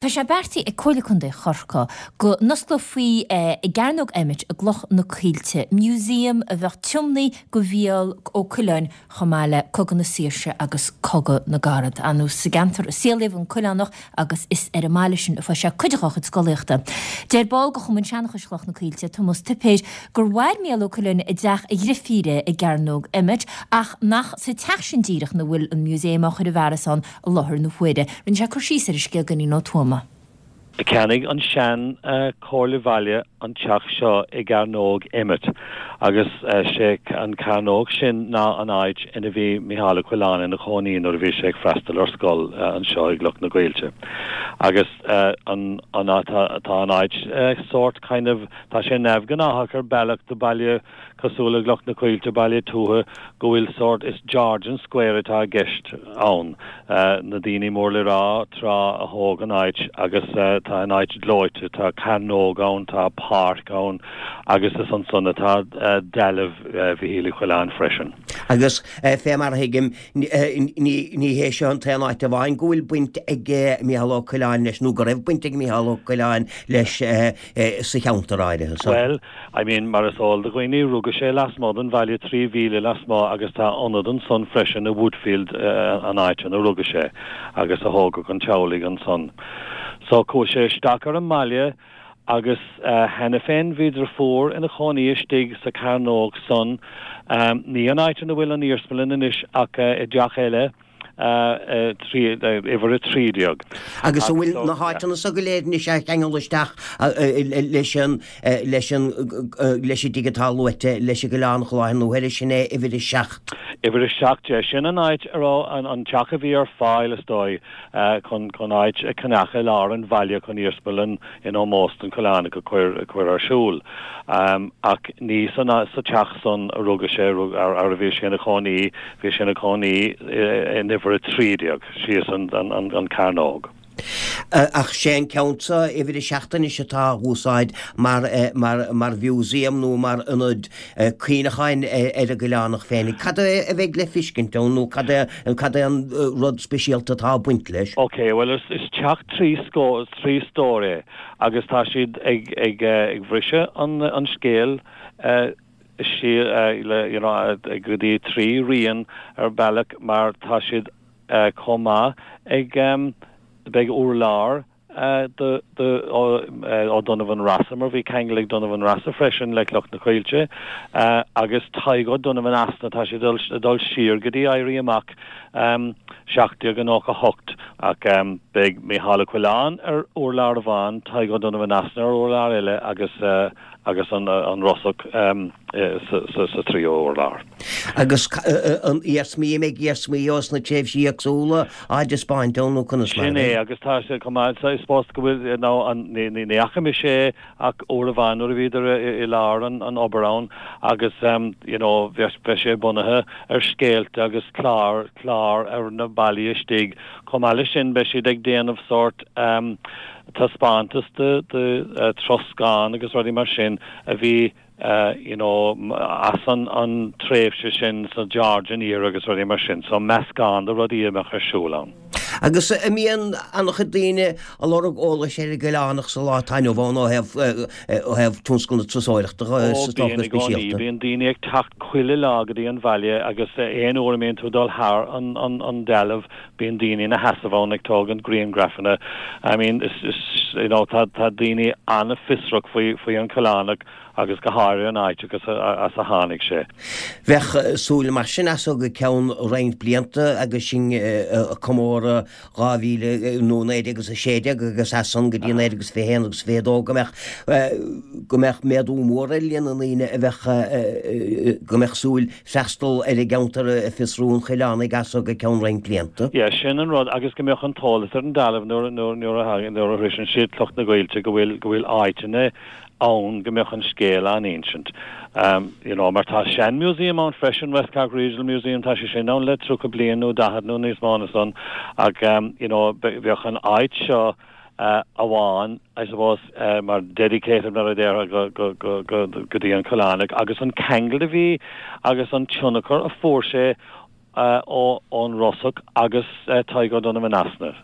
Tá sé beartaithe ag Comhairle Contae Chorcaí go n-osclófaí i gCearnóg Emmet i gCloch na Coillte museum a bheadh tiomnaithe do Mhícheál Ó Coileáin chomh maith le Cogadh na Saoirse agus Cogadh na gCarad. Ar ndóigh sa gceantar a saolaíodh an Coileánach agus is ar an mbaile sin a fuair sé cuid dá chuid scolaíochta. Deir ball de Chumann Seanchais Chloch na Coillte, Tomás Tuipéir, gur mhair Mícheál Ó Coileáin i dteach a dhrifíre i gCearnóg Emmet ach nach sa teach sin díreach ina bhfuil an museum á chur i bhfearas ann i láthair na huaire. Rinne sé cur síos ar an scéal do Iníon Ó Tuama. Cheannaigh an sean Chomhairle Bhaile an teach seo i gCearnóg Emmet agus sé an cearnóg sin ná an áit ina bhí Micheál Ó Coileáin ina chónaí nuair a bhí sé ag freastal ar scoil anseo i gCloch na gCoillte. Agus an an tá an áit sórt kind of tá sé neamhghnáthach ar bealach do baile Cosúil le Cloch na Coillte, baile tuaithe, go bhfuil sórt, is Georgian Square atá i gceist ann. Na daoine mór le rá tráth a thóg an áit agus tá an áit gleoite, tá cearnóg ann, tá páirc ann agus is ansan atá dealbh Mhichíl Uí Choileáin freisin. Agus fé mar a thuigim, ní hé seo an t-aon áit amháin go bhfuil baint ag Micheál Ó Coileáin leis, nó go raibh baint ag Micheál Ó Coileáin leis sa cheantar áirithe so. Bhuel, I mean, mar is eol do dhaoine, rugadh sé lasmuigh den bhaile, 3 mhíle lasmuigh, agus tá ionad ansan freisin i Woodfield, an áit ina rugadh sé, agus a thógadh an teaghlaigh ansan. So, chuaigh sé isteach ar an mbaile agus cheana féin bhí driofúr ina chónaí istigh sa cearnóg san, ní an áit ina bhfuil an iarsmalann anois ach i dteach eile, uimhir 13. Agus an bhfuil na háiteanna so go léir anois á cheangal isteach leis an, leis an, leis an dtigh atá luaite leis an gCoileánach i láthair na huaire, sin é uimhir 7? Uimhir 7, yeah. Sin an áit a raibh an teach a bhí ar fáil, is dóigh, chun, chun áit a cheannach i lár an bhaile chun iarsmalann in ómós don Choileánach a chur ar siúl. Ach ní sa teach san a rugadh sé, ar a bhí sé ina chónaí, bhí sé ina chónaí in uimhir 13, síos an cearnóg. Ach sé an ceann seo, uimhir 7 anois atá á úsáid mar mar mhúsaem nó mar ionad cuimhneacháin ar an gCoileánach féinig. Cad é a bheidh le feiscint ann nó cad é cad é an rud speisialta atá ag baint leis? Ok, bhuel is teach 3 stór é agus tá siad ag ag ag bhriseadh an an scéal siar le you know go dtí 3 rian ar bealach mar tá siad chomh maith ag beidh urlár do O'Donovan Rossa, mar bhí ceangal ag Donovan Rossa freisin le Cloch na Coillte, agus Tadhg O'Donovan Easna, tá sé ag dul siar go dtí Éirí Amach 1798, ach beidh Mícheál Ó Coileáin ar urlár amháin, Tadhg O'Donovan Easna ar urlár eile agus agus an Rosach sa tríú urlár. Agus an iarsmaí, an mbeidh iarsmaí ós na tréimhsí éagsúla á dtaispeáint ann nó conas mar a Sin é, agus tá sé chomh maith, I suppose go bhfuil, nó an, ní, ní fhaca mise é ach uair amháin nuair a bhíodar i lár an, an obair ann agus you know bheadh, beidh sé bunaithe ar scéalta agus clár, clár ar na ballaí istigh. Chomh maith leis sin beidh siad ag déanamh sórt taispeántas de, de troscán agus rudaí mar sin a bhí you know as an an tréimhse sin sa Georgian era agus rudaí mar sin. So meascán de rudaí a bheadh ar siúl ann. Agus an mbíonn an-chuid daoine ag lorg eolais ar an gCoileánach sa lá atá inniu ann ó thaobh ó thaobh tionscal na turasóireachta Ó is dócha bíonn i gcónaí. speisialta. Bíonn daoine ag teacht chuile lá go dtí an bhaile agus aon uair a mbíonn tú ag dul thar an an an dealbh bíonn daoine ina sheasamh ann ag tógaint griangrafanna. I mean is is you know tá tá daoine an-fhiosrach faoi faoi an Coileánach agus go háirithe an áit agus as a tháinig sé. Bheadh súil mar sin as so go ceann roinnt blianta agus sinn ag comóradh 2000 nó 1916 agus as san go dtí 1921 agus 22 go mbeadh go mbeadh méadú mór ar líon na ndaoine a bheadh go mbeadh súil freastal ar an gceantar ag fiosrú an Choileánaigh as so go ceann roinnt blianta. Yeah, sin an rud agus go mbeadh an t-eolas ar an dealbh nuair nuair a nuair a shroiseann siad Cloch na gCoillte go bhfuil go bhfuil áiteanna ann go mbeadh an scéal á insint. You know, mar tá sean-museum ann freisin, West Cork Regional Museum, tá sé sin ann le 30 bliain nó 40 nó níos mó ná san ach you know, bheadh an áit seo amháin, I suppose, mar dedicated mar a déarfá go, go, go, go, go dtí an Coileánach agus an ceangal a bhí agus an tionchar a fuair sé ón Rosach agus Tadhg O'Donovan Easna.